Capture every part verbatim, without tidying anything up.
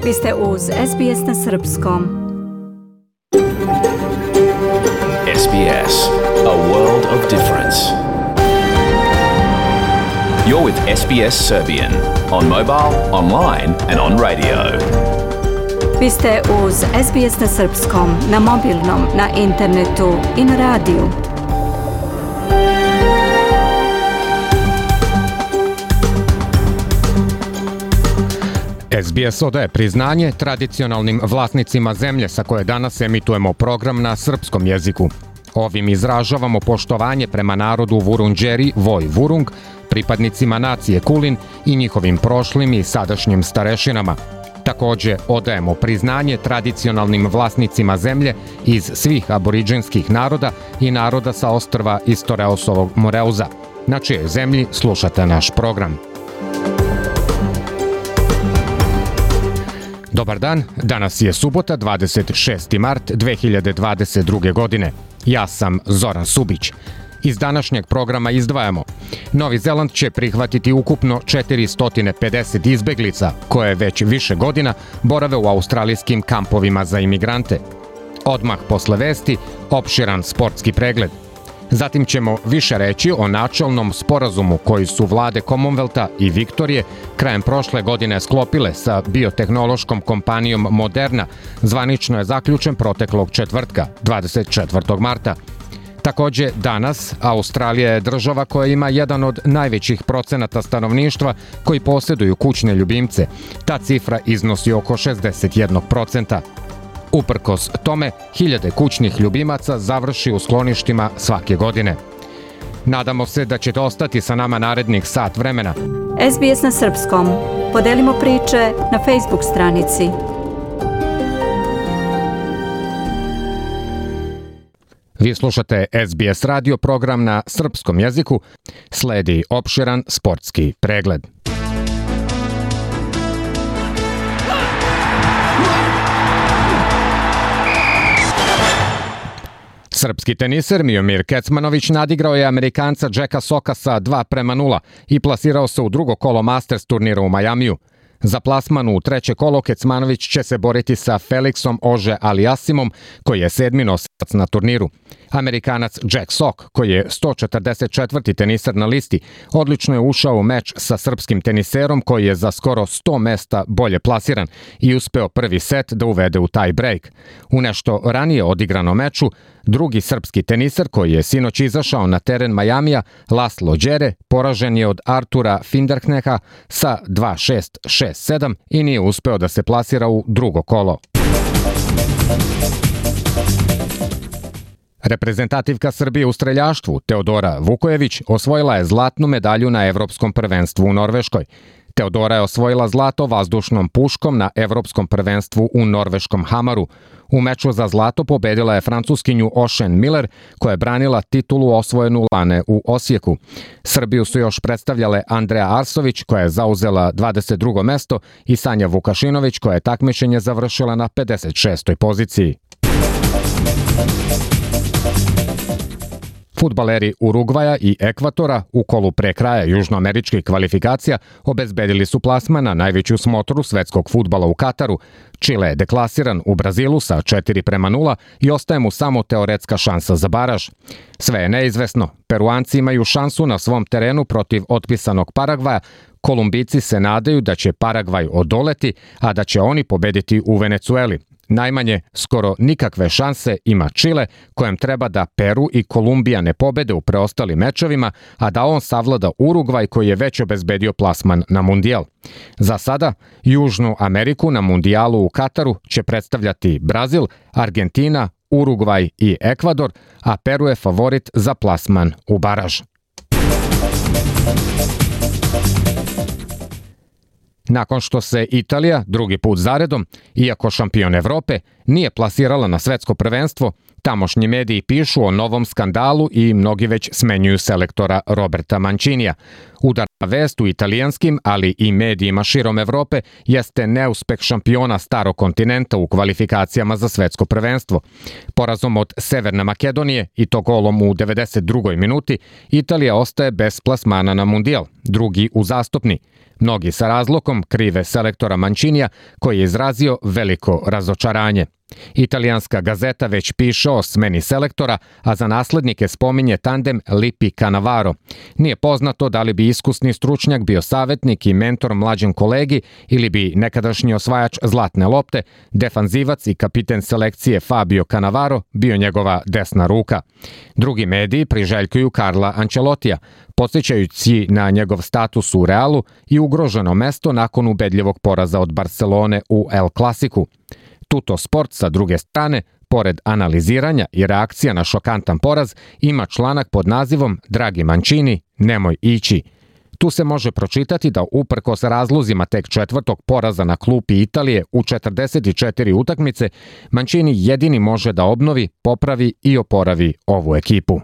Vi ste uz S B S na srpskom. S B S, a world of difference. You're with S B S Serbian on mobile, online and on radio. Vi ste uz S B S na srpskom, na mobilnom, na internetu i na radiju. S B S odaje priznanje tradicionalnim vlasnicima zemlje sa koje danas emitujemo program na srpskom jeziku. Ovim izražavamo poštovanje prema narodu Vurundjeri Voj Vurung, pripadnicima nacije Kulin i njihovim prošlim i sadašnjim starešinama. Takođe, odajemo priznanje tradicionalnim vlasnicima zemlje iz svih aboriđinskih naroda i naroda sa ostrva Istoreosovog Moreuza, na čijoj zemlji slušate naš program. Dobar dan, danas je subota, dvadeset šesti mart dve hiljade dvadeset druge. godine. Ja sam Zoran Subić. Iz današnjeg programa izdvajamo: Novi Zeland će prihvatiti ukupno četiristo pedeset izbeglica koje već više godina borave u australijskim kampovima za imigrante. Odmah posle vesti, opširan sportski pregled. Zatim ćemo više reći o načelnom sporazumu koji su vlade Commonwealtha i Viktorije krajem prošle godine sklopile sa biotehnološkom kompanijom Moderna. Zvanično je zaključen proteklog četvrtka, dvadeset četvrtog marta. Takođe, danas Australija je država koja ima jedan od najvećih procenata stanovništva koji posjeduju kućne ljubimce. Ta cifra iznosi oko šezdeset jedan posto. Uprkos tome, hiljade kućnih ljubimaca završi u skloništima svake godine. Nadamo se da ćete ostati sa nama narednih sat vremena. S B S na srpskom. Podelimo priče na Facebook stranici. Vi slušate S B S radio program na srpskom jeziku. Sledi opširan sportski pregled. Srpski teniser Miomir Kecmanović nadigrao je Amerikanca Jacka Socka sa dva prema nula i plasirao se u drugo kolo Masters turnira u Majamiju. Za plasman u treće kolo Kecmanović će se boriti sa Felixom Ože Aliasimom, koji je sedmi nosilac na turniru. Amerikanac Jack Sock, koji je sto četrdeset četvrti teniser na listi, odlično je ušao u meč sa srpskim teniserom koji je za skoro sto mesta bolje plasiran i uspeo prvi set da uvede u tie break. U nešto ranije odigrano meču, drugi srpski teniser koji je sinoć izašao na teren Majamija, Laslo Đere, poražen je od Artura Finderkneha sa dva šest šest sedam i nije uspeo da se plasira u drugo kolo. Reprezentativka Srbije u streljaštvu Teodora Vukojević osvojila je zlatnu medalju na Evropskom prvenstvu u Norveškoj. Teodora je osvojila zlato vazdušnom puškom na Evropskom prvenstvu u norveškom Hamaru. U meču za zlato pobedila je Francuskinju Ocean Miller, koja je branila titulu osvojenu lane u Osijeku. Srbiju su još predstavljale Andreja Arsović, koja je zauzela dvadeset drugo mesto, i Sanja Vukašinović, koja je takmičenje završila na pedeset šestoj poziciji. Fudbaleri Urugvaja i Ekvatora u kolu pre kraja južnoameričkih kvalifikacija obezbedili su plasman na najveću smotru svetskog fudbala u Kataru. Čile je deklasiran u Brazilu sa četiri prema nula i ostaje mu samo teoretska šansa za baraž. Sve je neizvesno. Peruanci imaju šansu na svom terenu protiv otpisanog Paragvaja. Kolumbijci se nadaju da će Paragvaj odoleti, a da će oni pobediti u Venecueli. Najmanje, skoro nikakve šanse ima Čile, kojem treba da Peru i Kolumbija ne pobede u preostalim mečevima, a da on savlada Urugvaj koji je već obezbedio plasman na mundijal. Za sada, Južnu Ameriku na mundijalu u Kataru će predstavljati Brazil, Argentina, Urugvaj i Ekvador, a Peru je favorit za plasman u baraž. Nakon što se Italija drugi put zaredom, iako šampion Evrope, nije plasirala na svetsko prvenstvo, tamošnji mediji pišu o novom skandalu i mnogi već smenjuju selektora Roberta Mancinija. Udarna vest u italijanskim, ali i medijima širom Evrope jeste neuspeh šampiona starog kontinenta u kvalifikacijama za svetsko prvenstvo. Porazom od Severne Makedonije i to golom u devedeset drugoj minuti, Italija ostaje bez plasmana na mundijal, drugi uzastopni. Mnogi sa razlogom krive selektora Mancinija koji je izrazio veliko razočaranje. Italijanska gazeta već piše o smeni selektora, a za naslednike spominje tandem Lippi-Cannavaro. Nije poznato da li bi iskusni stručnjak bio savjetnik i mentor mlađem kolegi ili bi nekadašnji osvajač zlatne lopte, defanzivac i kapiten selekcije Fabio Cannavaro bio njegova desna ruka. Drugi mediji priželjkuju Carla Ancelotija, podsjećajući na njegov status u Realu i ugroženo mesto nakon ubedljivog poraza od Barcelone u El Clasicu. Tutto Sport sa druge strane, pored analiziranja i reakcija na šokantan poraz, ima članak pod nazivom Dragi Mancini, nemoj ići. Tu se može pročitati da uprkos razlozima tek četvrtog poraza na klupi Italije u četrdeset četiri utakmice, Mancini jedini može da obnovi, popravi i oporavi ovu ekipu.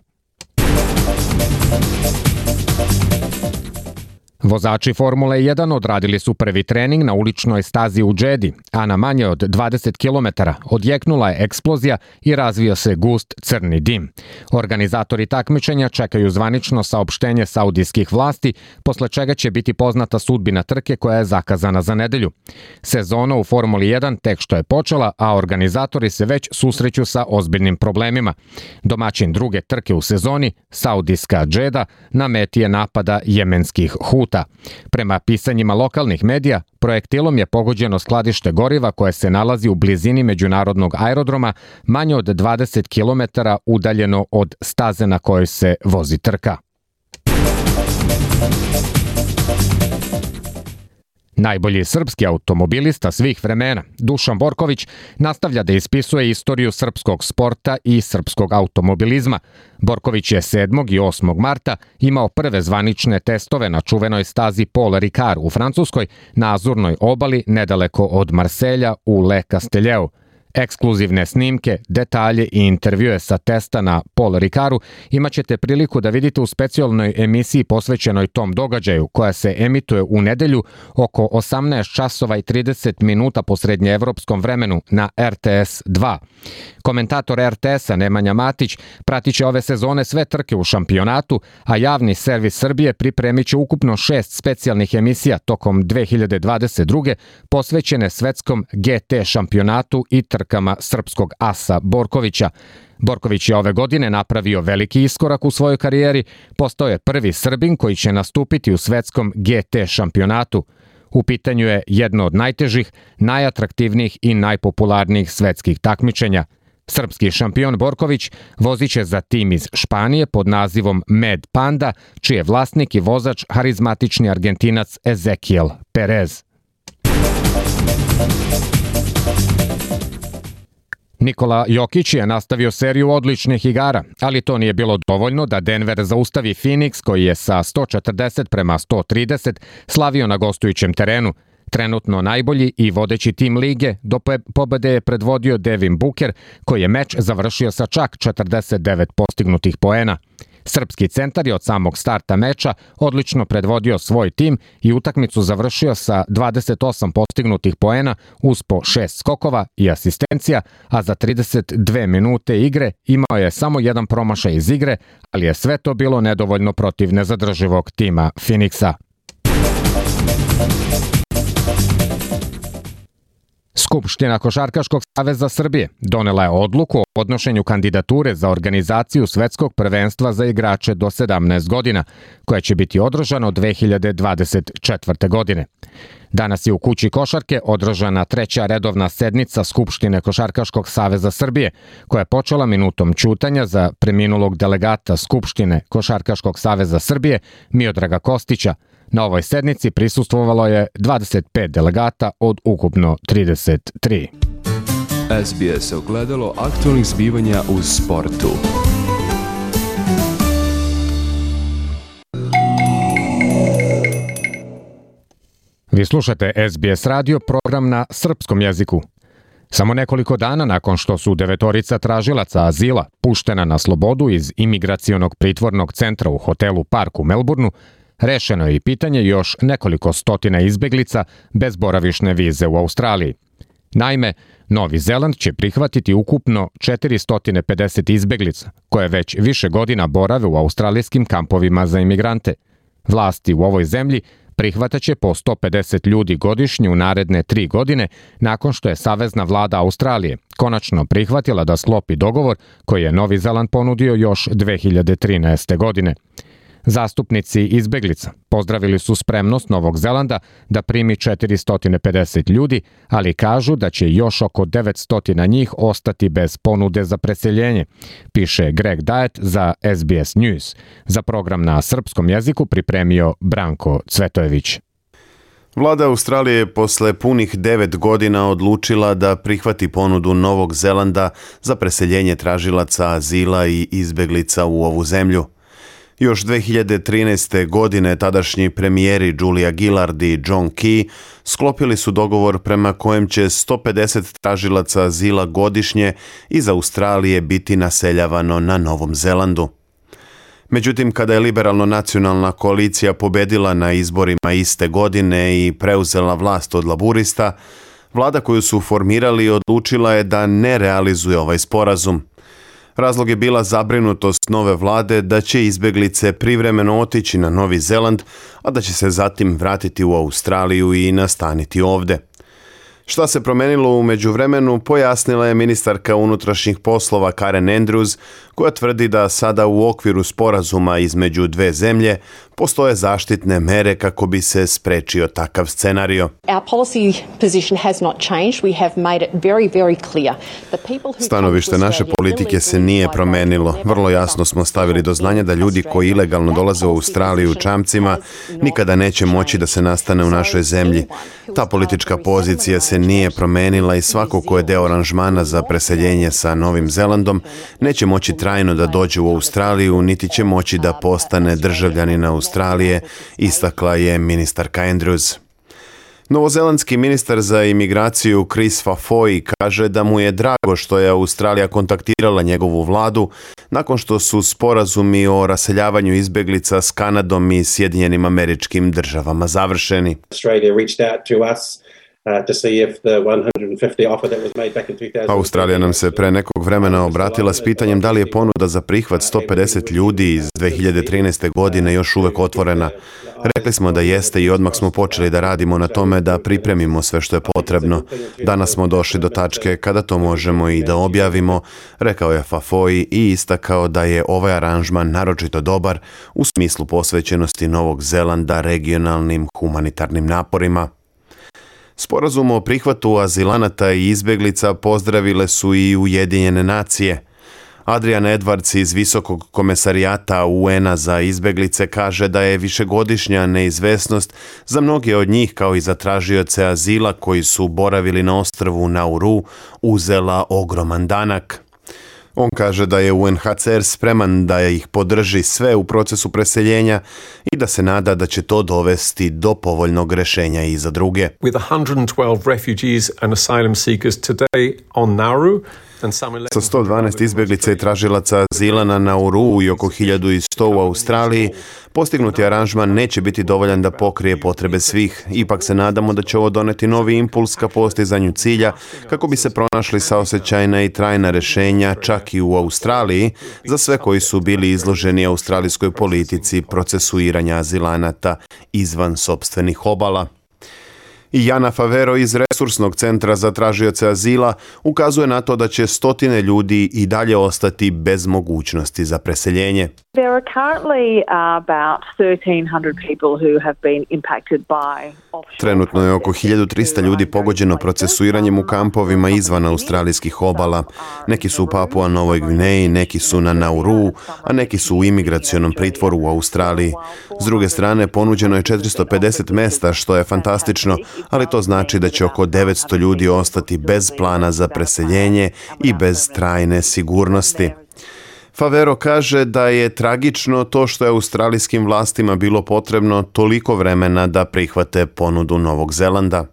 Vozači Formule jedan odradili su prvi trening na uličnoj stazi u Džedi, a na manje od dvadeset kilometara odjeknula je eksplozija i razvio se gust crni dim. Organizatori takmičenja čekaju zvanično saopštenje saudijskih vlasti, posle čega će biti poznata sudbina trke koja je zakazana za nedelju. Sezona u Formuli jedan tek što je počela, a organizatori se već susreću sa ozbiljnim problemima. Domaćin druge trke u sezoni, saudijska Džeda, na meti je napada jemenskih Huta. Prema pisanjima lokalnih medija, projektilom je pogođeno skladište goriva koje se nalazi u blizini međunarodnog aerodroma, manje od dvadeset kilometara udaljeno od staze na kojoj se vozi trka. Najbolji srpski automobilista svih vremena, Dušan Borković, nastavlja da ispisuje istoriju srpskog sporta i srpskog automobilizma. Borković je sedmog i osmog marta imao prve zvanične testove na čuvenoj stazi Paul Ricard u Francuskoj, na Azurnoj obali nedaleko od Marselja u Le Castelleu. Ekskluzivne snimke, detalje i intervjue sa testa na Paul Ricardu imat ćete priliku da vidite u specijalnoj emisiji posvećenoj tom događaju, koja se emituje u nedelju oko osamnaest časova i trideset minuta po srednjeevropskom vremenu na R T S dva. Komentator R T S-a Nemanja Matić pratit će ove sezone sve trke u šampionatu, a javni servis Srbije pripremit će ukupno šest specijalnih emisija tokom dve hiljade dvadeset druge posvećene svetskom G T šampionatu i trkama srpskog asa Borkovića. Borković je ove godine napravio veliki iskorak u svojoj karijeri, postao je prvi Srbin koji će nastupiti u svetskom G T šampionatu. U pitanju je jedno od najtežih, najatraktivnijih i najpopularnijih svetskih takmičenja. Srpski šampion Borković vozit će za tim iz Španije pod nazivom Med Panda, čiji je vlasnik i vozač harizmatični Argentinac Ezequiel Perez. Nikola Jokić je nastavio seriju odličnih igara, ali to nije bilo dovoljno da Denver zaustavi Phoenix, koji je sa sto četrdeset prema sto trideset slavio na gostujućem terenu. Trenutno najbolji i vodeći tim lige do pobede je predvodio Devin Booker, koji je meč završio sa čak četrdeset devet postignutih poena. Srpski centar je od samog starta meča odlično predvodio svoj tim i utakmicu završio sa dvadeset osam postignutih poena uz po šest skokova i asistencija, a za trideset dve minute igre imao je samo jedan promašaj iz igre, ali je sve to bilo nedovoljno protiv nezadrživog tima Phoenixa. Skupština Košarkaškog saveza Srbije donela je odluku o podnošenju kandidature za organizaciju svetskog prvenstva za igrače do sedamnaest godina, koja će biti održano dve hiljade dvadeset četvrte. godine. Danas je u Kući košarke održana treća redovna sednica Skupštine Košarkaškog saveza Srbije, koja je počela minutom ćutanja za preminulog delegata Skupštine Košarkaškog saveza Srbije Miodraga Kostića. Na ovoj sednici prisustvovalo je dvadeset pet delegata od ukupno trideset tri. S B S ogledalo aktualnih zbivanja u sportu. Vi slušate S B S radio, program na srpskom jeziku. Samo nekoliko dana nakon što su devetorica tražilaca azila puštena na slobodu iz imigracionog pritvornog centra u hotelu Park u Melbourneu, rešeno je i pitanje još nekoliko stotina izbeglica bez boravišne vize u Australiji. Naime, Novi Zeland će prihvatiti ukupno četiristo pedeset izbeglica, koje već više godina borave u australijskim kampovima za imigrante. Vlasti u ovoj zemlji prihvataće po sto pedeset ljudi godišnje u naredne tri godine nakon što je Savezna vlada Australije konačno prihvatila da sklopi dogovor koji je Novi Zeland ponudio još dve hiljade trinaeste. godine. Zastupnici izbeglica pozdravili su spremnost Novog Zelanda da primi četiristo pedeset ljudi, ali kažu da će još oko devetsto njih ostati bez ponude za preseljenje, piše Greg Diet za S B S News. Za program na srpskom jeziku pripremio Branko Cvetojević. Vlada Australije je posle punih devet godina odlučila da prihvati ponudu Novog Zelanda za preseljenje tražilaca azila i izbeglica u ovu zemlju. Još dve hiljade trinaeste. godine tadašnji premijeri Julia Gillard i John Key sklopili su dogovor prema kojem će sto pedeset tražilaca azila godišnje iz Australije biti naseljavano na Novom Zelandu. Međutim, kada je liberalno-nacionalna koalicija pobedila na izborima iste godine i preuzela vlast od laburista, vlada koju su formirali odlučila je da ne realizuje ovaj sporazum. Razlog je bila zabrinutost nove vlade da će izbeglice privremeno otići na Novi Zeland, a da će se zatim vratiti u Australiju i nastaniti ovde. Šta se promenilo u međuvremenu, pojasnila je ministarka unutrašnjih poslova Karen Andrews, koja tvrdi da sada u okviru sporazuma između dve zemlje postoje zaštitne mere kako bi se sprečio takav scenario. Stanovište naše politike se nije promenilo. Vrlo jasno smo stavili do znanja da ljudi koji ilegalno dolaze u Australiju čamcima nikada neće moći da se nastane u našoj zemlji. Ta politička pozicija se nije promenila i svako ko je deo aranžmana za preseljenje sa Novim Zelandom neće moći trajno da dođe u Australiju, niti će moći da postane državljanin Australije, istakla je ministarka Andrews. Novozelandski ministar za imigraciju Chris Fafoy kaže da mu je drago što je Australija kontaktirala njegovu vladu nakon što su sporazumi o raseljavanju izbeglica s Kanadom i Sjedinjenim Američkim Državama završeni. Australija nam se pre nekog vremena obratila s pitanjem da li je ponuda za prihvat sto pedeset ljudi iz dve hiljade trinaeste. godine još uvek otvorena. Rekli smo da jeste i odmah smo počeli da radimo na tome da pripremimo sve što je potrebno. Danas smo došli do tačke kada to možemo i da objavimo, rekao je Fafoy i istakao da je ovaj aranžman naročito dobar u smislu posvećenosti Novog Zelanda regionalnim humanitarnim naporima. Sporazum o prihvatu azilanata i izbeglica pozdravile su i Ujedinjene nacije. Adrian Edwards iz Visokog komesarijata U N-a za izbeglice kaže da je višegodišnja neizvesnost za mnoge od njih kao i za tražioce azila koji su boravili na ostrvu Nauru uzela ogroman danak. On kaže da je U N H C R spreman da ih podrži sve u procesu preseljenja i da se nada da će to dovesti do povoljnog rešenja i za druge. With one hundred twelve refugees and asylum seekers today on Nauru, sa sto dvanaest izbeglica i tražilaca azila na Nauru i oko hiljadu sto u Australiji, postignuti aranžman neće biti dovoljan da pokrije potrebe svih. Ipak se nadamo da će ovo doneti novi impuls ka postizanju cilja kako bi se pronašli saosećajna i trajna rešenja čak i u Australiji za sve koji su bili izloženi australijskoj politici procesuiranja azilanata izvan sopstvenih obala. I Jana Favero iz Resursnog centra za tražioce azila ukazuje na to da će stotine ljudi i dalje ostati bez mogućnosti za preseljenje. There are currently about thirteen hundred people who have been impacted by offshore. Trenutno je oko hiljadu trista ljudi pogođeno procesuiranjem u kampovima izvan australijskih obala. Neki su u Papua Novoj Gvineji, neki su na Nauru, a neki su u imigracionom pritvoru u Australiji. S druge strane, ponuđeno je četiristo pedeset mesta, što je fantastično, ali to znači da će oko devetsto ljudi ostati bez plana za preseljenje i bez trajne sigurnosti. Favero kaže da je tragično to što je australijskim vlastima bilo potrebno toliko vremena da prihvate ponudu Novog Zelanda.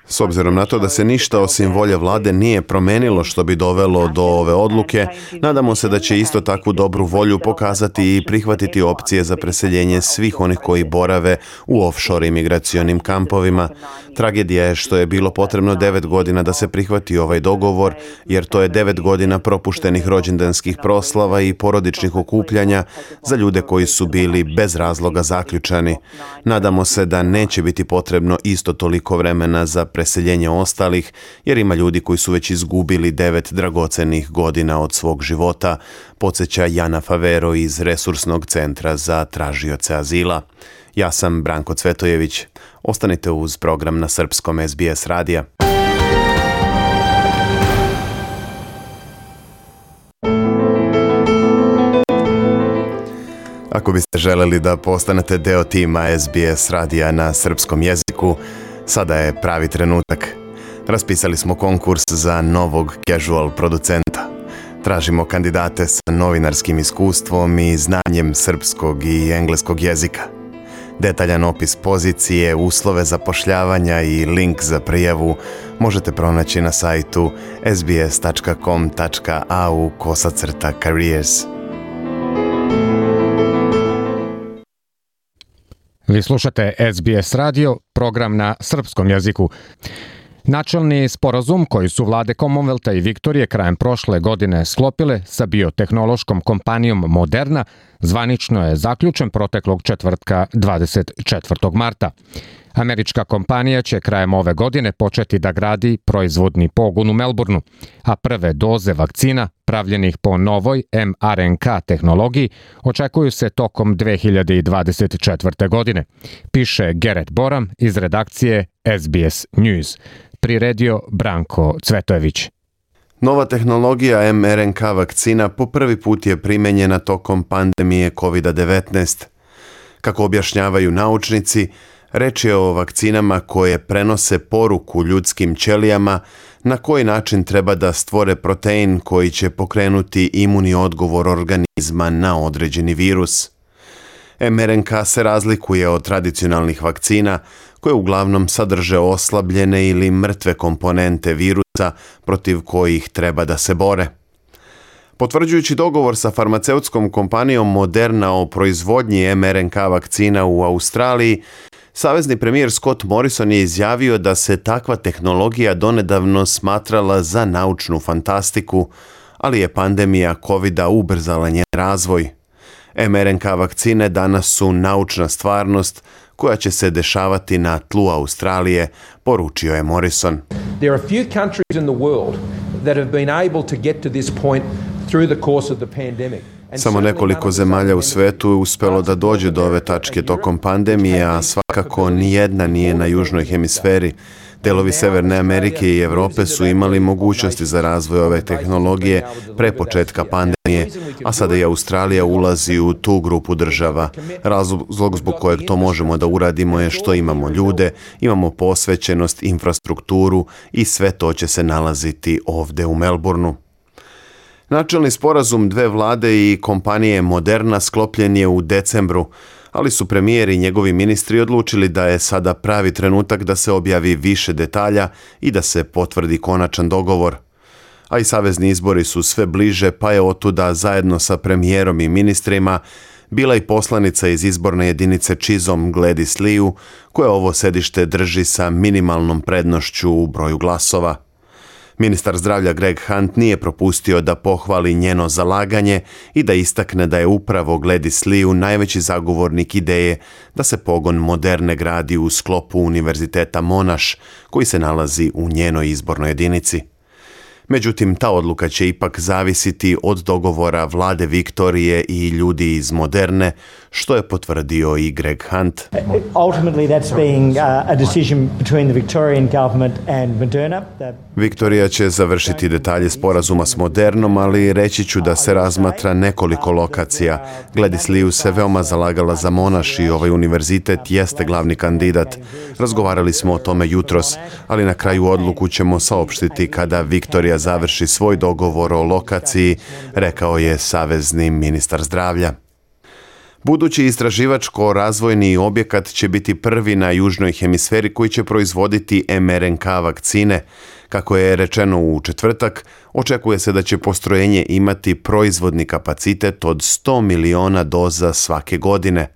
S obzirom na to da se ništa osim volje vlade nije promenilo što bi dovelo do ove odluke, nadamo se da će isto takvu dobru volju pokazati i prihvatiti opcije za preseljenje svih onih koji borave u offshore imigracionim kampovima. Tragedija je što je bilo potrebno devet godina da se prihvati ovaj dogovor, jer to je devet godina propuštenih rođendanskih proslava i porodičnih okupljanja za ljude koji su bili bez razloga zaključani. Nadamo se da neće biti potrebno isto toliko vremena za preseljenje ostalih, jer ima ljudi koji su već izgubili devet dragocenih godina od svog života, podsjeća Jana Favero iz Resursnog centra za tražioce azila. Ja sam Branko Cvetojević. Ostanite uz program na srpskom S B S radija. Ako biste želeli da postanete deo tima S B S radija na srpskom jeziku, sada je pravi trenutak. Raspisali smo konkurs za novog casual producenta. Tražimo kandidate sa novinarskim iskustvom i znanjem srpskog i engleskog jezika. Detaljan opis pozicije, uslove zapošljavanja i link za prijavu možete pronaći na sajtu sbs tačka com tačka a u kosacrta careers. Vi slušate S B S radio, program na srpskom jeziku. Načelni sporazum koji su vlade Commonwealtha i Viktorije krajem prošle godine sklopile sa biotehnološkom kompanijom Moderna zvanično je zaključen proteklog četvrtka dvadeset četvrtog marta. Američka kompanija će krajem ove godine početi da gradi proizvodni pogon u Melbourneu, a prve doze vakcina pravljenih po novoj em R N K tehnologiji očekuju se tokom dve hiljade dvadeset četvrte. godine, piše Gerrit Boram iz redakcije S B S News. Priredio Branko Cvetojević. Nova tehnologija em R N K vakcina po prvi put je primenjena tokom pandemije kovid devetnaest. Kako objašnjavaju naučnici, reč je o vakcinama koje prenose poruku ljudskim ćelijama na koji način treba da stvore protein koji će pokrenuti imuni odgovor organizma na određeni virus. em R N K se razlikuje od tradicionalnih vakcina koje uglavnom sadrže oslabljene ili mrtve komponente virusa protiv kojih treba da se bore. Potvrđujući dogovor sa farmaceutskom kompanijom Moderna o proizvodnji em R N K vakcina u Australiji, savezni premijer Scott Morrison je izjavio da se takva tehnologija donedavno smatrala za naučnu fantastiku, ali je pandemija kovida ubrzala njen razvoj. em R N K vakcine danas su naučna stvarnost koja će se dešavati na tlu Australije, poručio je Morrison. There are few countries in the world that have been able to get to this point through the course of the pandemic. Samo nekoliko zemalja u svetu je uspelo da dođe do ove tačke tokom pandemije, a svakako nijedna nije na južnoj hemisferi. Delovi Severne Amerike i Evrope su imali mogućnosti za razvoj ove tehnologije pre početka pandemije, a sada i Australija ulazi u tu grupu država. Razlog zbog kojeg to možemo da uradimo je što imamo ljude, imamo posvećenost, infrastrukturu i sve to će se nalaziti ovde u Melbourneu. Načelni sporazum dve vlade i kompanije Moderna sklopljen je u decembru, ali su premijer i njegovi ministri odlučili da je sada pravi trenutak da se objavi više detalja i da se potvrdi konačan dogovor. A i savezni izbori su sve bliže, pa je otuda zajedno sa premijerom i ministrima bila i poslanica iz izborne jedinice Chisholm Gladys Liu, koja ovo sedište drži sa minimalnom prednošću u broju glasova. Ministar zdravlja Greg Hunt nije propustio da pohvali njeno zalaganje i da istakne da je upravo Gladys Liu najveći zagovornik ideje da se pogon Moderne gradi u sklopu Univerziteta Monash, koji se nalazi u njenoj izbornoj jedinici. Međutim, ta odluka će ipak zavisiti od dogovora vlade Viktorije i ljudi iz Moderne, što je potvrdio i Greg Hunt. Ultimately that's being a decision between the Victorian government and Moderna. Victoria će završiti detalje sporazuma s Modernom, ali reći ću da se razmatra nekoliko lokacija. Gladys Liu se veoma zalagala za Monash i ovaj univerzitet jeste glavni kandidat. Razgovarali smo o tome jutros, ali na kraju odluku ćemo saopštiti kada Victoria završi svoj dogovor o lokaciji, rekao je savezni ministar zdravlja. Budući istraživačko-razvojni objekat će biti prvi na južnoj hemisferi koji će proizvoditi em er en ka vakcine. Kako je rečeno u četvrtak, očekuje se da će postrojenje imati proizvodni kapacitet od sto miliona doza svake godine.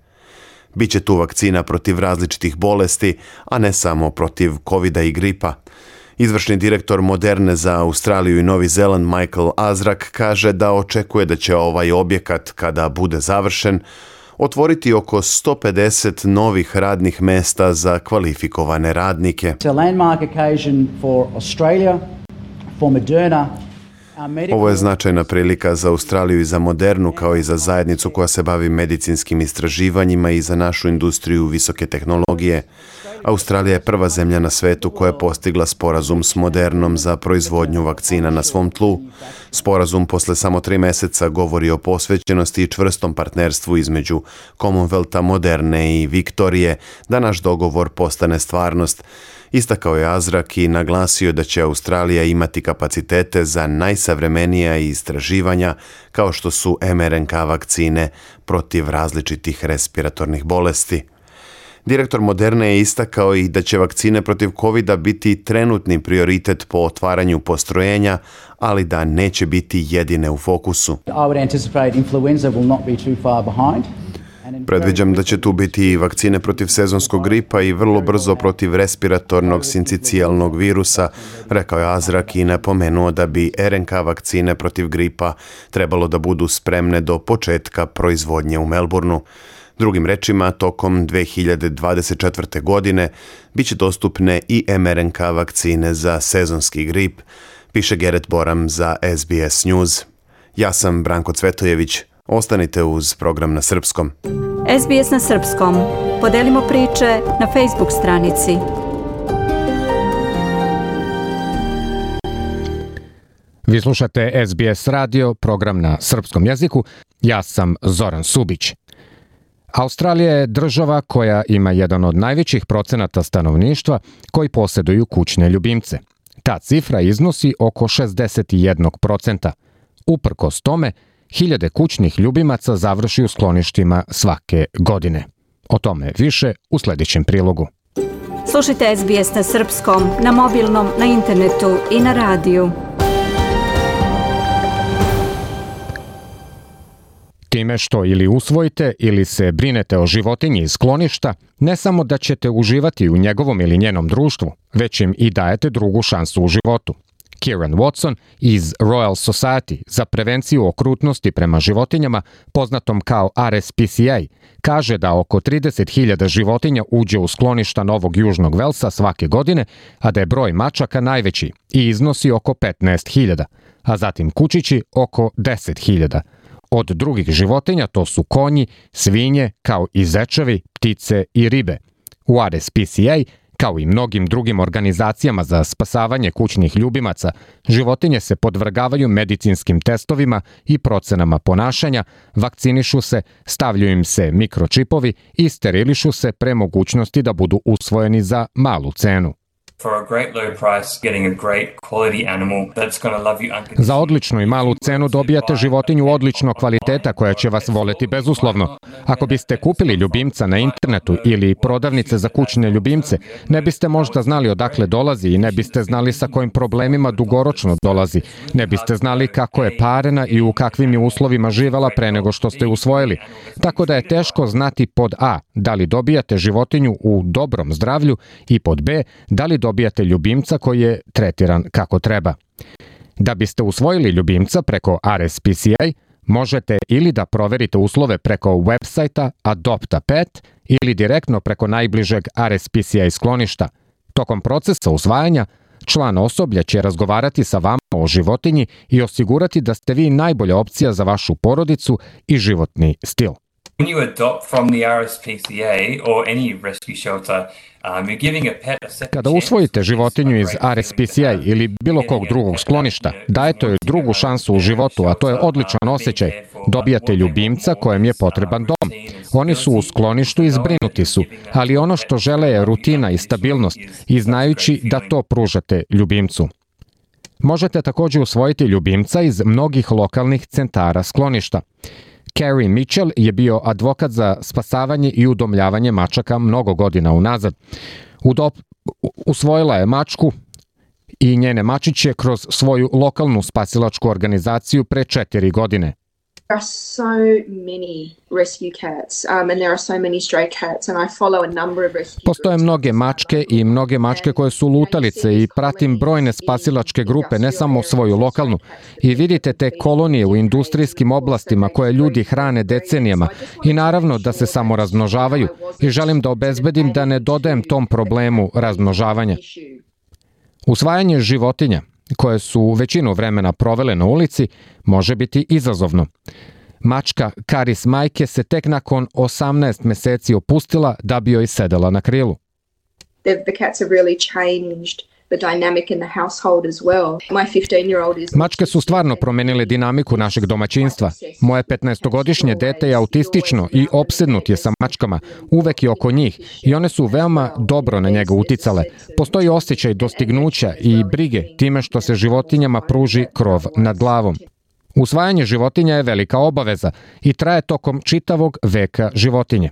Biće tu vakcina protiv različitih bolesti, a ne samo protiv kovida i gripa. Izvršni direktor Moderne za Australiju i Novi Zeland Michael Azrak kaže da očekuje da će ovaj objekat, kada bude završen, otvoriti oko sto pedeset novih radnih mesta za kvalifikovane radnike. Ovo je značajna prilika za Australiju i za Modernu, kao i za zajednicu koja se bavi medicinskim istraživanjima i za našu industriju visoke tehnologije. Australija je prva zemlja na svetu koja je postigla sporazum s Modernom za proizvodnju vakcina na svom tlu. Sporazum posle samo tri meseca govori o posvećenosti i čvrstom partnerstvu između Commonwealtha, Moderne i Viktorije, da naš dogovor postane stvarnost. Istakao je Azrak i naglasio da će Australija imati kapacitete za najsavremenija istraživanja, kao što su em er en ka vakcine protiv različitih respiratornih bolesti. Direktor Moderne je istakao i da će vakcine protiv kovida biti trenutni prioritet po otvaranju postrojenja, ali da neće biti jedine u fokusu. Predviđam da će tu biti i vakcine protiv sezonskog gripa i vrlo brzo protiv respiratornog sincicijalnog virusa, rekao je Azrak i napomenuo da bi er en ka vakcine protiv gripa trebalo da budu spremne do početka proizvodnje u Melbourneu. Drugim rečima, tokom dve hiljade dvadeset četvrte. godine bit će dostupne i em er en ka vakcine za sezonski grip, piše Geret Boram za es bi es News. Ja sam Branko Cvetojević. Ostanite uz program na srpskom. es bi es na srpskom. Podelimo priče na Facebook stranici. Vi slušate es bi es radio, program na srpskom jeziku. Ja sam Zoran Subić. Australija je država koja ima jedan od najvećih procenata stanovništva koji posjeduju kućne ljubimce. Ta cifra iznosi oko šezdeset jedan procent. Uprkos tome, hiljade kućnih ljubimaca završi u skloništima svake godine. O tome više u sljedećem prilogu. Slušajte es bi es na srpskom, na mobilnom, na internetu i na radiju. Time što ili usvojite ili se brinete o životinji iz skloništa, ne samo da ćete uživati u njegovom ili njenom društvu, već im i dajete drugu šansu u životu. Kieran Watson iz Royal Society za prevenciju okrutnosti prema životinjama, poznatom kao ar es pi si ej, kaže da oko trideset hiljada životinja uđe u skloništa Novog Južnog Velsa svake godine, a da je broj mačaka najveći i iznosi oko petnaest hiljada, a zatim kučići oko deset hiljada. Od drugih životinja to su konji, svinje, kao i zečevi, ptice i ribe. U ar es pi si ej, kao i mnogim drugim organizacijama za spasavanje kućnih ljubimaca, životinje se podvrgavaju medicinskim testovima i procenama ponašanja, vakcinišu se, stavljaju im se mikročipovi i sterilišu se pre mogućnosti da budu usvojeni za malu cenu. Za odličnu i malu cenu dobijate životinju odličnog kvaliteta koja će vas voleti bezuslovno. Ako biste kupili ljubimca na internetu ili prodavnice za kućne ljubimce, ne biste možda znali odakle dolazi i ne biste znali sa kojim problemima dugoročno dolazi. Ne biste znali kako je parena i u kakvim je uslovima živela pre nego što ste usvojili. Tako da je teško znati pod A, da li dobijate životinju u dobrom zdravlju i pod B, da li dobijate ljubimca koji je tretiran kako treba. Da biste usvojili ljubimca preko ar es pi si ej, možete ili da proverite uslove preko websajta Adopt a Pet ili direktno preko najbližeg ar es pi si ej skloništa. Tokom procesa usvajanja, član osoblja će razgovarati sa vama o životinji i osigurati da ste vi najbolja opcija za vašu porodicu i životni stil. When you adopt from the R S P C A or any rescue shelter, um, you're giving a pet a second Kada usvojite životinju iz R S P C A ili bilo kog drugog skloništa, dajete joj drugu šansu u životu, a to je odličan osjećaj. Dobijate ljubimca kojem je potreban dom. Oni su u skloništu i zbrinuti su, ali ono što žele je rutina i stabilnost i znajući da to pružate ljubimcu. Možete također usvojiti ljubimca iz mnogih lokalnih centara skloništa. Carrie Mitchell je bio advokat za spasavanje i udomljavanje mačaka mnogo godina unazad. Udop, usvojila je mačku i njene mačiće kroz svoju lokalnu spasilačku organizaciju pre četiri godine. There are so many rescue cats um, and there are so many stray cats and I follow a number of rescue Postoje mnoge mačke i mnoge mačke koje su lutalice i pratim brojne spasilačke grupe, ne samo svoju lokalnu. I vidite te kolonije u industrijskim oblastima koje ljudi hrane decenijama i naravno da se samo razmnožavaju i želim da obezbedim da ne dodajem tom problemu razmnožavanja. Usvajanje životinja koje su većinu vremena provele na ulici, može biti izazovno. Mačka Karis majke se tek nakon osamnaest meseci opustila da bi joj sedela na krilu. The, the cats have really changed the dynamic in the household as well. My fifteen-year-old is... Mačke su stvarno promenile dinamiku našeg domaćinstva. Moje petnaestogodišnje dete je autistično i opsednut je sa mačkama. Uvek je oko njih i one su veoma dobro na njega uticale. Postoji osjećaj dostignuća i brige time što se životinjama pruži krov nad glavom. Usvajanje životinja je velika obaveza i traje tokom čitavog veka životinje.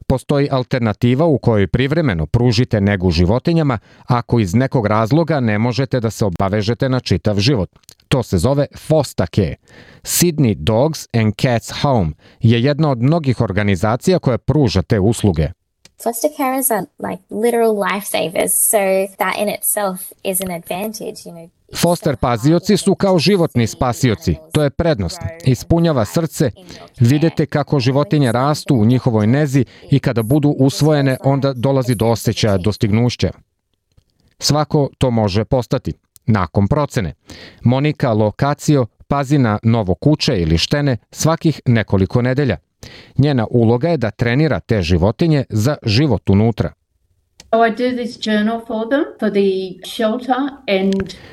Postoji alternativa u kojoj privremeno pružite negu životinjama ako iz nekog razloga ne možete da se obavežete na čitav život. To se zove foster care. Sydney Dogs and Cats Home je jedna od mnogih organizacija koja pruža te usluge. Foster carers are like literal lifesavers, so that in itself is an advantage, you know. Foster pazioci su kao životni spasioci. To je prednost. Ispunjava srce. Vidite kako životinje rastu u njihovoj nezi i kada budu usvojene, onda dolazi do osjećaja dostignuća. Svako to može postati. Nakon procene. Monika Lokacio pazi na novo kuće ili štene svakih nekoliko nedelja. Njena uloga je da trenira te životinje za život unutra.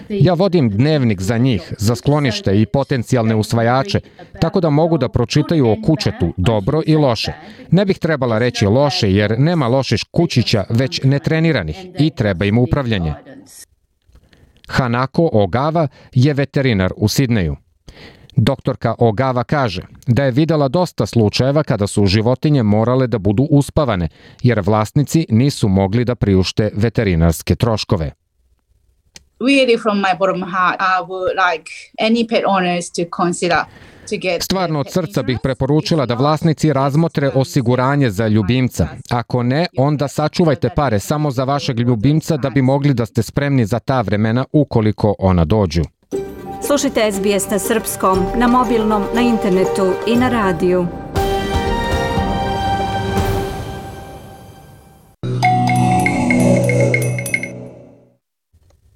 Ja vodim dnevnik za njih, za sklonište i potencijalne usvajače, tako da mogu da pročitaju o kućetu dobro i loše. Ne bih trebala reći loše jer nema loših kućića, već netreniranih i treba im upravljanje. Hanako Ogawa je veterinar u Sidneju. Doktorka Ogawa kaže da je videla dosta slučajeva kada su životinje morale da budu uspavane, jer vlasnici nisu mogli da priušte veterinarske troškove. Really from my bottom heart, I would like any pet owners to consider Stvarno od srca bih preporučila da vlasnici razmotre osiguranje za ljubimca. Ako ne, onda sačuvajte pare samo za vašeg ljubimca da bi mogli da ste spremni za ta vremena ukoliko ona dođu. Slušajte S B S na srpskom, na mobilnom, na internetu i na radiju.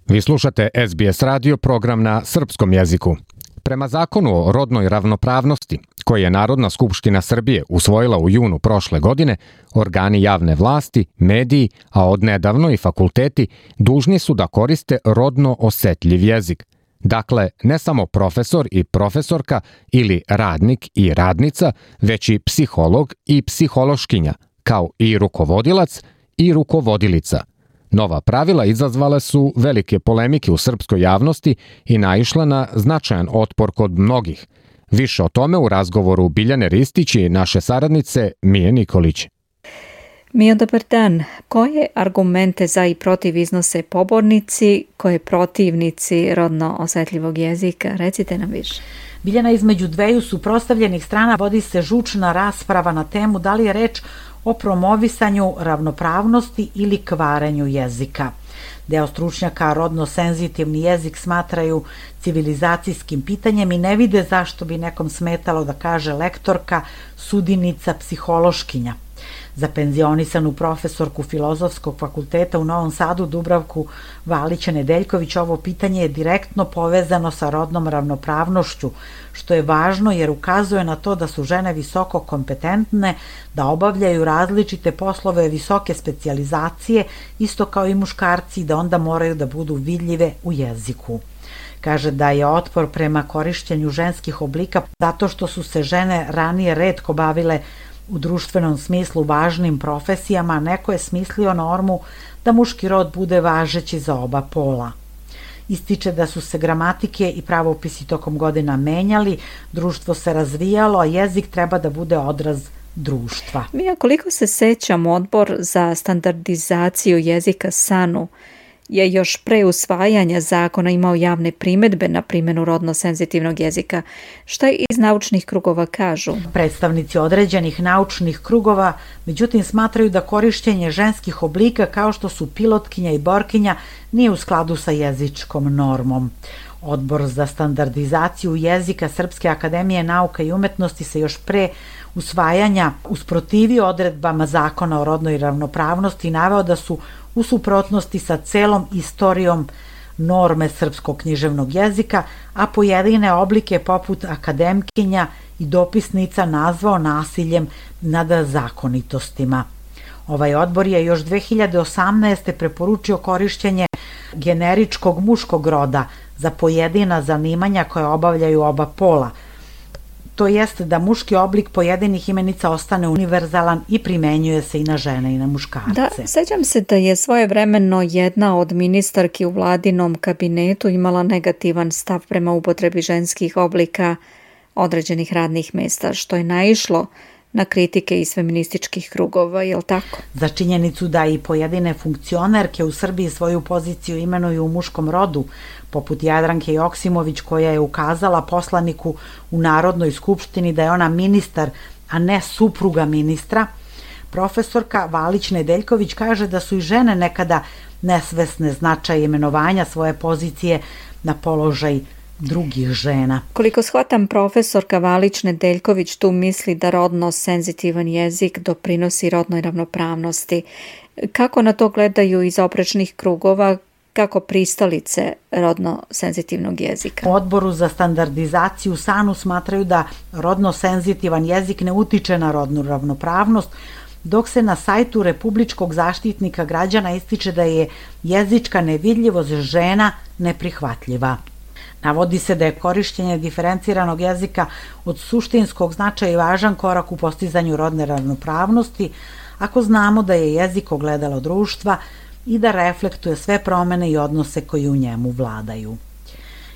Vi slušate S B S radio, program na srpskom jeziku. Prema zakonu o rodnoj ravnopravnosti, koji je Narodna skupština Srbije usvojila u junu prošle godine, organi javne vlasti, mediji, a odnedavno i fakulteti, dužni su da koriste rodno osetljiv jezik. Dakle, ne samo profesor i profesorka ili radnik i radnica, već i psiholog i psihološkinja, kao i rukovodilac i rukovodilica. Nova pravila izazvale su velike polemike u srpskoj javnosti i naišla na značajan otpor kod mnogih. Više o tome u razgovoru Biljane Ristić i naše saradnice Mije Nikolić. Mijo, dobar dan. Koje argumente za i protiv iznose pobornici, koje protivnici rodno osetljivog jezika? Recite nam više. Biljana, između dveju suprotstavljenih strana vodi se žučna rasprava na temu da li je reč o promovisanju ravnopravnosti ili kvarenju jezika. Deo stručnjaka rodno senzitivni jezik smatraju civilizacijskim pitanjem i ne vide zašto bi nekom smetalo da kaže lektorka, sudinica, psihološkinja. Za penzionisanu profesorku Filozofskog fakulteta u Novom Sadu Dubravku Valić-Nedeljković ovo pitanje je direktno povezano sa rodnom ravnopravnošću, što je važno jer ukazuje na to da su žene visoko kompetentne, da obavljaju različite poslove visoke specijalizacije, isto kao i muškarci, da onda moraju da budu vidljive u jeziku. Kaže da je otpor prema korišćenju ženskih oblika zato što su se žene ranije retko bavile u društvenom smislu važnim profesijama, neko je smislio normu da muški rod bude važeći za oba pola. Ističe da su se gramatike i pravopisi tokom godina menjali, društvo se razvijalo, a jezik treba da bude odraz društva. Mija, koliko se sećam, Odbor za standardizaciju jezika SANU je još pre usvajanja zakona imao javne primedbe na primjenu rodno senzitivnog jezika. Šta iz naučnih krugova kažu? Predstavnici određenih naučnih krugova, međutim, smatraju da korišćenje ženskih oblika kao što su pilotkinja i borkinja nije u skladu sa jezičkom normom. Odbor za standardizaciju jezika Srpske akademije nauka i umetnosti se još pre usvajanja usprotivio odredbama zakona o rodnoj ravnopravnosti i naveo da su u suprotnosti sa celom istorijom norme srpskog književnog jezika, a pojedine oblike poput akademkinja i dopisnica nazvao nasiljem nad zakonitostima. Ovaj odbor je još dve hiljade osamnaeste. preporučio korišćenje generičkog muškog roda za pojedina zanimanja koje obavljaju oba pola, to jest da muški oblik pojedinih imenica ostane univerzalan i primenjuje se i na žene i na muškarce. Da, sećam se da je svojevremeno jedna od ministarki u vladinom kabinetu imala negativan stav prema upotrebi ženskih oblika određenih radnih mesta, što je naišlo na kritike iz feminističkih krugova, je li tako? Za činjenicu da i pojedine funkcionerke u Srbiji svoju poziciju imenuju u muškom rodu, poput Jadranke Joksimović koja je ukazala poslaniku u Narodnoj skupštini da je ona ministar, a ne supruga ministra, profesorka Valić-Nedeljković kaže da su i žene nekada nesvesne značaja imenovanja svoje pozicije na položaj drugih žena. Koliko shvatam, profesorka Valić-Nedeljković tu misli da rodno senzitivan jezik doprinosi rodnoj ravnopravnosti. Kako na to gledaju iz oprečnih krugova, kako pristalice rodno senzitivnog jezika? U Odboru za standardizaciju SANU smatraju da rodno senzitivan jezik ne utiče na rodnu ravnopravnost, dok se na sajtu Republičkog zaštitnika građana ističe da je jezička nevidljivost žena neprihvatljiva. Navodi se da je korišćenje diferenciranog jezika od suštinskog značaja i važan korak u postizanju rodne ravnopravnosti, ako znamo da je jezik ogledalo društva i da reflektuje sve promene i odnose koji u njemu vladaju.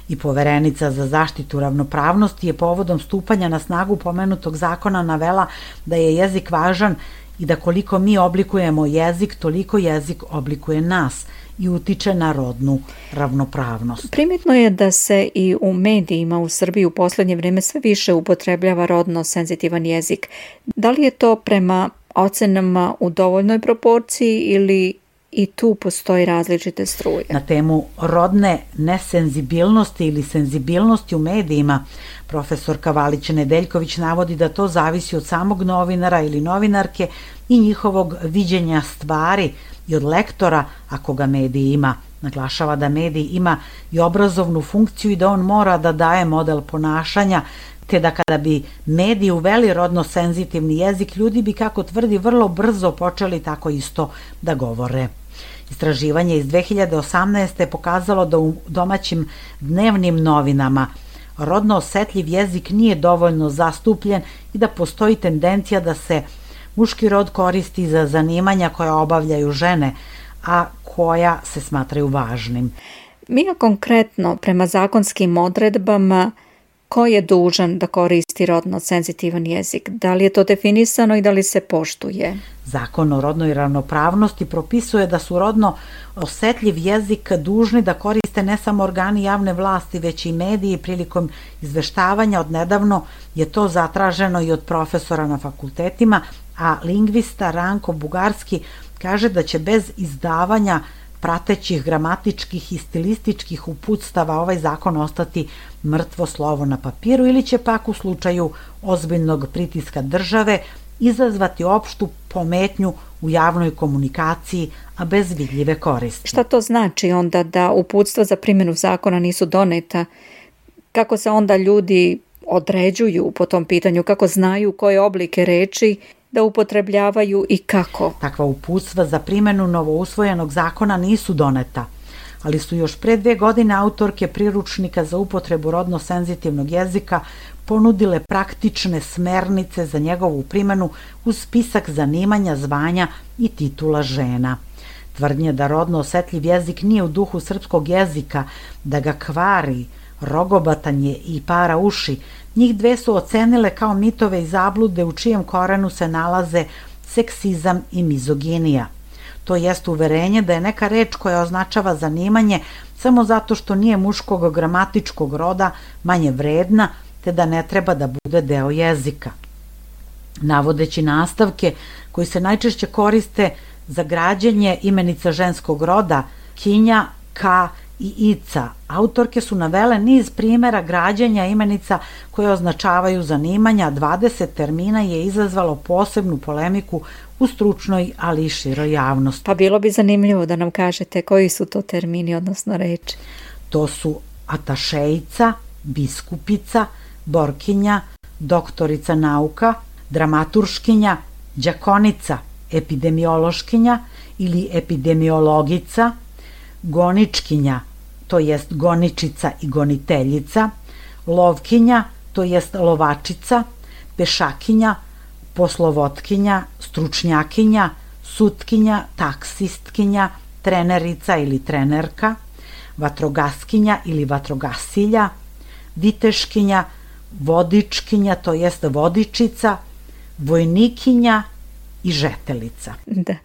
I Poverenica za zaštitu ravnopravnosti je povodom stupanja na snagu pomenutog zakona navela da je jezik važan i da koliko mi oblikujemo jezik, toliko jezik oblikuje nas i utiče na rodnu ravnopravnost. Primetno je da se i u medijima u Srbiji u poslednje vreme sve više upotrebljava rodno senzitivan jezik. Da li je to prema ocenama u dovoljnoj proporciji ili i tu postoji različite struje? Na temu rodne nesenzibilnosti ili senzibilnosti u medijima, profesorka Valić-Nedeljković navodi da to zavisi od samog novinara ili novinarke i njihovog viđenja stvari i od lektora ako ga medij ima. Naglašava da medij ima i obrazovnu funkciju i da on mora da daje model ponašanja, te da kada bi mediji uveli rodno senzitivni jezik, ljudi bi, kako tvrdi, vrlo brzo počeli tako isto da govore. Istraživanje iz dve hiljade osamnaeste. je pokazalo da u domaćim dnevnim novinama rodno osetljiv jezik nije dovoljno zastupljen i da postoji tendencija da se muški rod koristi za zanimanja koja obavljaju žene, a koja se smatraju važnim. Mija, konkretno, prema zakonskim odredbama, ko je dužan da koristi rodno senzitivan jezik? Da li je to definisano i da li se poštuje? Zakon o rodnoj ravnopravnosti propisuje da su rodno osetljiv jezik dužni da koriste ne samo organi javne vlasti, već i mediji prilikom izveštavanja. Odnedavno je to zatraženo i od profesora na fakultetima, a lingvista Ranko Bugarski kaže da će bez izdavanja pratećih gramatičkih i stilističkih uputstava ovaj zakon ostati mrtvo slovo na papiru ili će pak u slučaju ozbiljnog pritiska države izazvati opštu pometnju u javnoj komunikaciji, a bez vidljive koristi. Šta to znači onda da uputstva za primjenu zakona nisu doneta? Kako se onda ljudi određuju po tom pitanju? Kako znaju koje oblike reči da upotrebljavaju i kako? Takva uputstva za primjenu novousvojenog zakona nisu doneta, ali su još pre dve godine autorke priručnika za upotrebu rodno senzitivnog jezika ponudile praktične smernice za njegovu primjenu uz spisak zanimanja, zvanja i titula žena. Tvrdnje da rodno osetljiv jezik nije u duhu srpskog jezika, da ga kvari, rogobatanje i para uši, njih dve su ocenile kao mitove i zablude u čijem korenu se nalaze seksizam i mizoginija. To jest uverenje da je neka reč koja označava zanimanje samo zato što nije muškog gramatičkog roda manje vredna, te da ne treba da bude deo jezika. Navodeći nastavke koji se najčešće koriste za građenje imenica ženskog roda, kinja, ka i ica, autorke su navele niz primjera građenja imenica koje označavaju zanimanja, dvadeset termina je izazvalo posebnu polemiku u stručnoj, ali i široj javnosti. Pa bilo bi zanimljivo da nam kažete koji su to termini, odnosno reči. To su atašejica, biskupica, borkinja, doktorica nauka, dramaturškinja, đakonica, epidemiološkinja ili epidemiologica, goničkinja, to jest goničica i goniteljica, lovkinja, to jest lovačica, pešakinja, poslovotkinja, stručnjakinja, sutkinja, taksistkinja, trenerica ili trenerka, vatrogaskinja ili vatrogasilja, viteškinja, vodičkinja, to jest vodičica, vojnikinja i žetelica. Da.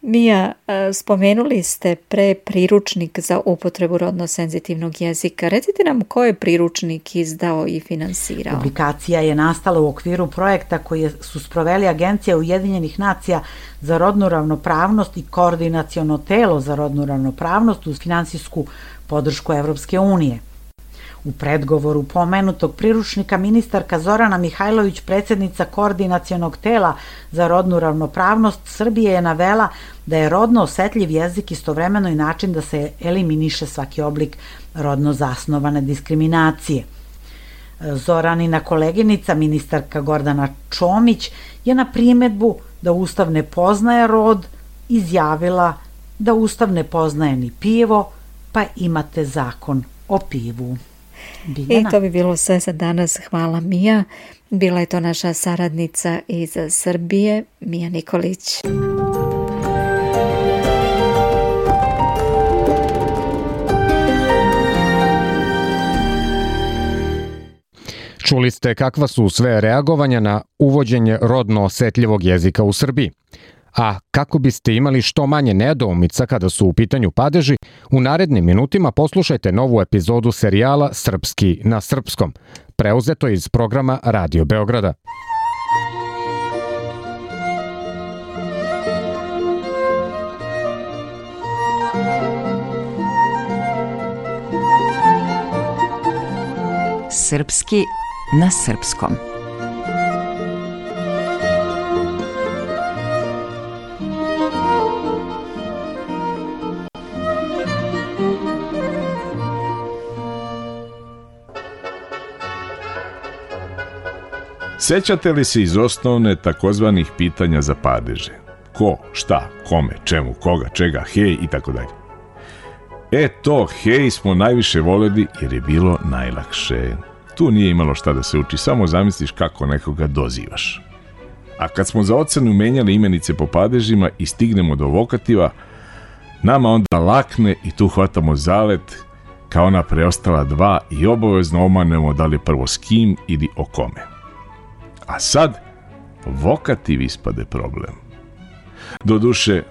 Mija, spomenuli ste pre priručnik za upotrebu rodno senzitivnog jezika. Recite nam ko je priručnik izdao i finansirao? Publikacija je nastala u okviru projekta koji su sproveli Agencija Ujedinjenih nacija za rodnu ravnopravnost i Koordinaciono telo za rodnu ravnopravnost uz finansijsku podršku Evropske unije. U predgovoru pomenutog priručnika ministarka Zorana Mihajlović, predsjednica Koordinacionog tela za rodnu ravnopravnost Srbije, je navela da je rodno osetljiv jezik istovremeno i način da se eliminiše svaki oblik rodno zasnovane diskriminacije. Zoranina koleginica, ministarka Gordana Čomić, je na primjedbu da Ustav ne poznaje rod izjavila da Ustav ne poznaje ni pivo, pa imate zakon o pivu. I to bi bilo sve za danas. Hvala, Mija. Bila je to naša saradnica iz Srbije, Mija Nikolić. Čuli ste kakva su sve reagovanja na uvođenje rodno osetljivog jezika u Srbiji. A kako biste imali što manje nedoumica kada su u pitanju padeži, u narednim minutima poslušajte novu epizodu serijala Srpski na srpskom, preuzeto iz programa Radio Beograda. Srpski na srpskom. Sećate li se iz osnovne takozvanih pitanja za padeže? Ko, šta, kome, čemu, koga, čega, hej i tako dalje. E to hej smo najviše voleli jer je bilo najlakše. Tu nije imalo šta da se uči, samo zamisliš kako nekoga dozivaš. A kad smo za ocenu menjali imenice po padežima i stignemo do vokativa, nama onda lakne i tu hvatamo zalet kao ona preostala dva i obavezno omanemo da li prvo s kim ili o kome. A sad, vokativ ispade problem. Doduše,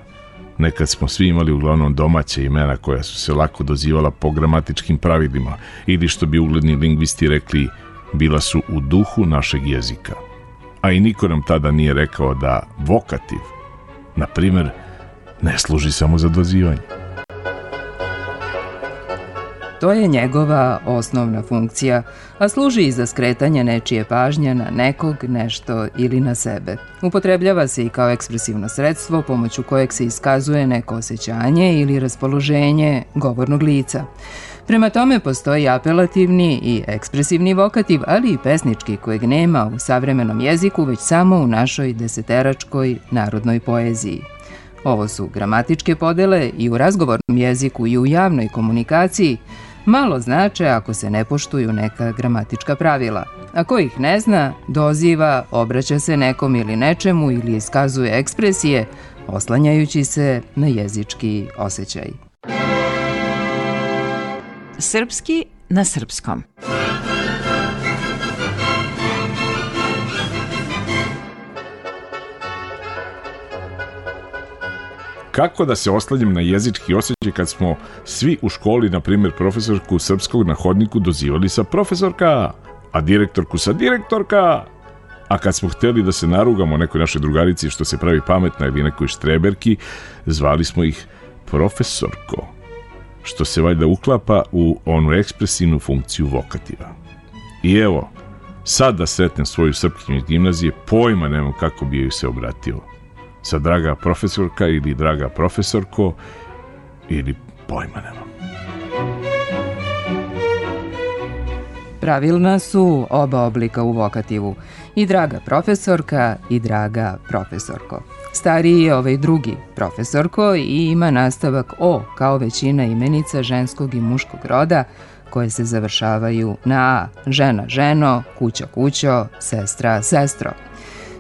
nekad smo svi imali uglavnom domaće imena koja su se lako dozivala po gramatičkim pravilima ili što bi ugledni lingvisti rekli, bila su u duhu našeg jezika. A i niko nam tada nije rekao da vokativ, na primjer, ne služi samo za dozivanje. To je njegova osnovna funkcija, a služi i za skretanje nečije pažnje na nekog, nešto ili na sebe. Upotrebljava se i kao ekspresivno sredstvo pomoću kojeg se iskazuje neko osjećanje ili raspoloženje govornog lica. Prema tome postoji apelativni i ekspresivni vokativ, ali i pesnički kojeg nema u savremenom jeziku, već samo u našoj deseteračkoj narodnoj poeziji. Ovo su gramatičke podele i u razgovornom jeziku i u javnoj komunikaciji malo znače ako se ne poštuju neka gramatička pravila. Ako ih ne zna, doziva, obraća se nekom ili nečemu ili iskazuje ekspresije, oslanjajući se na jezički osjećaj. Srpski na srpskom. Kako da se oslanjam na jezički osjećaj kad smo svi u školi, na primjer, profesorku srpskog na hodniku dozivali sa profesorka, a direktorku sa direktorka? A kad smo hteli da se narugamo nekoj našoj drugarici što se pravi pametna ili nekoj štreberki, zvali smo ih profesorko, što se valjda uklapa u onu ekspresivnu funkciju vokativa. I evo, sad da sretnem svoju srpkinju iz gimnazije, pojma nemam kako bi joj se obratio. Sa draga profesorka ili draga profesorko ili pojma nemam. Pravilna su oba oblika u vokativu, i draga profesorka i draga profesorko. Stariji je ovaj drugi, profesorko, i ima nastavak o, kao većina imenica ženskog i muškog roda, koje se završavaju na a, žena, ženo, kuća, kućo, sestra, sestro.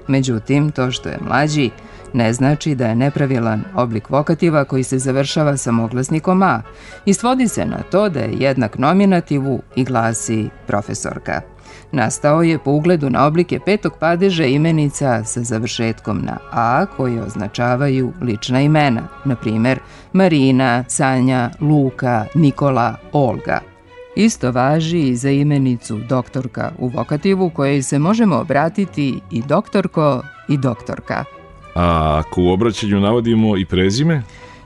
Međutim, to što je mlađi ne znači da je nepravilan oblik vokativa koji se završava samoglasnikom a i svodi se na to da je jednak nominativu i glasi profesorka. Nastao je po ugledu na oblike petog padeža imenica sa završetkom na a koji označavaju lična imena, na primjer Marina, Sanja, Luka, Nikola, Olga. Isto važi i za imenicu doktorka u vokativu kojoj se možemo obratiti i doktorko i doktorka. A ako u obraćanju navodimo i prezime?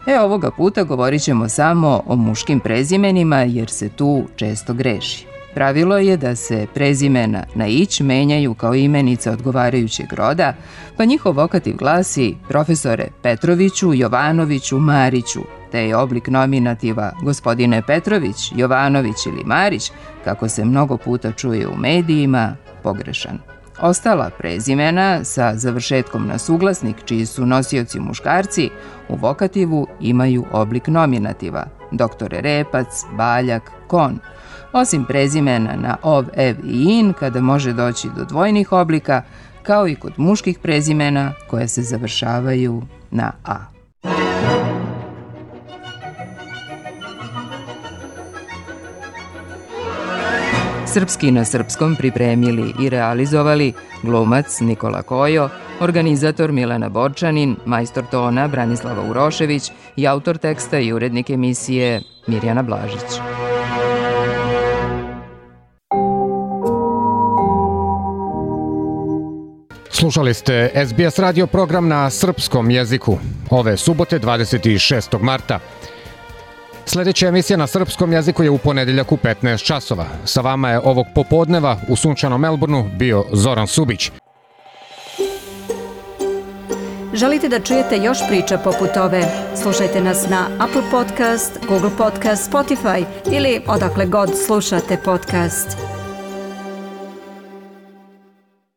E, ovoga puta govorit ćemo samo o muškim prezimenima jer se tu često greši. Pravilo je da se prezimena na ić menjaju kao imenica odgovarajućeg roda, pa njihov vokativ glasi profesore Petroviću, Jovanoviću, Mariću, te je oblik nominativa gospodine Petrović, Jovanović ili Marić, kako se mnogo puta čuje u medijima, pogrešan. Ostala prezimena sa završetkom na suglasnik, čiji su nosioci muškarci, u vokativu imaju oblik nominativa, doktore Repac, Baljak, Kon. Osim prezimena na ov, ev i in, kada može doći do dvojnih oblika, kao i kod muških prezimena koje se završavaju na a. Srpski na srpskom pripremili i realizovali glumac Nikola Kojo, organizator Milena Borčanin, majstor tona Branislava Urošević i autor teksta i urednik emisije Mirjana Blažić. Slušali ste es be es radio program na srpskom jeziku ove subote dvadeset šestog marta. Sljedeća emisija na srpskom jeziku je u ponedeljak u petnaest časova. Sa vama je ovog popodneva u sunčanom Melbourneu bio Zoran Subić. Želite da čujete još priča poput ove? Slušajte nas na Apple Podcast, Google Podcast, Spotify ili odakle god slušate podcast.